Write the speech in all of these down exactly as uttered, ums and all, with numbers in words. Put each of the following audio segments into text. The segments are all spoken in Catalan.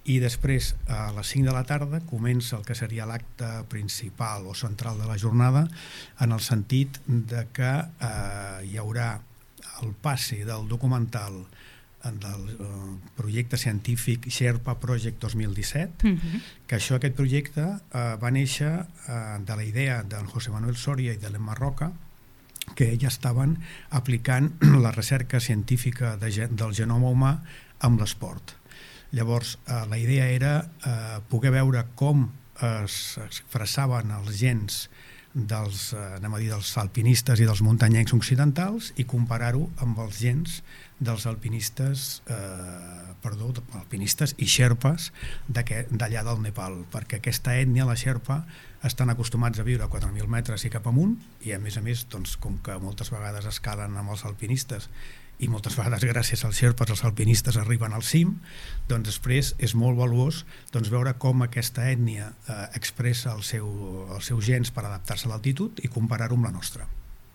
i després a les cinc de la tarda comença el que seria l'acte principal o central de la jornada, en el sentit de que eh, hi haurà el passe del documental del eh, projecte científic Sherpa Project dos mil disset, uh-huh. que això, aquest projecte eh, va néixer eh, de la idea d'en José Manuel Soria i de l'Emma Roca, que ja estaven aplicant la recerca científica de, del genoma humà amb l'esport. Llavors, eh, la idea era eh, poder veure com es expressaven els gens dels, eh, anem a dir, dels alpinistes i dels muntanyencs occidentals i comparar-ho amb els gens dels alpinistes, eh, perdó, alpinistes i xerpes d'allà del Nepal, perquè aquesta ètnia, la xerpa, estan acostumats a viure a quatre mil metres i cap amunt, i a més a més, doncs, com que moltes vegades escalen amb els alpinistes i moltes vegades gràcies als xerpes els alpinistes arriben al cim, doncs després és molt valuós doncs, veure com aquesta ètnia eh, expressa el seu, els seus gens per adaptar-se a l'altitud i comparar-ho amb la nostra.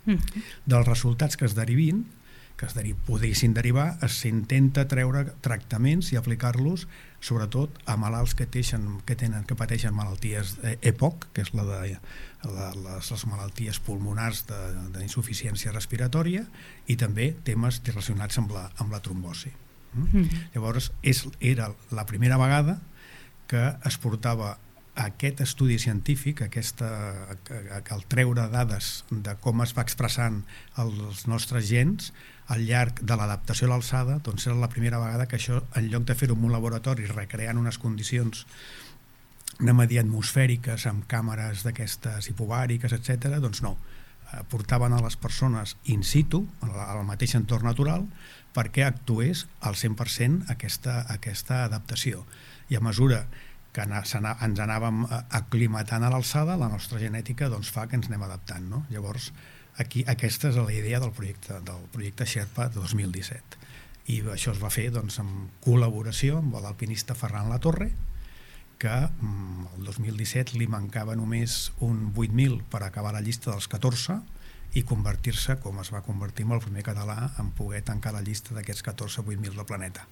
Mm. Dels resultats que es derivin, que es deri podessin derivar, s'intenta treure tractaments i aplicar-los sobretot a malalts que, teixen, que, tenen, que pateixen malalties E P O C, que és la de la, les, les malalties pulmonars d'insuficiència respiratòria, i també temes relacionats amb la, amb la trombosi. Mm? Mm. Llavors, és, era la primera vegada que es portava aquest estudi científic, aquesta, el treure dades de com es va expressant els nostres gens al llarg de l'adaptació a l'alçada, doncs era la primera vegada que això, en lloc de fer-ho en un laboratori recreant unes condicions anem a dir atmosfèriques amb càmeres d'aquestes hipobàriques, etcètera, doncs no, portaven a les persones in situ, al mateix entorn natural, perquè actués al cent per cent aquesta, aquesta adaptació. I a mesura que ens anàvem aclimatant a l'alçada, la nostra genètica doncs, fa que ens anem adaptant. No? Llavors, aquí, aquesta és la idea del projecte, del projecte Sherpa de dos mil disset. I això es va fer doncs, en col·laboració amb l'alpinista Ferran Latorre, que el dos mil disset li mancava només un vuit mil per acabar la llista dels catorze i convertir-se, com es va convertir amb el primer català, en poder tancar la llista d'aquests catorze vuit mil del planeta.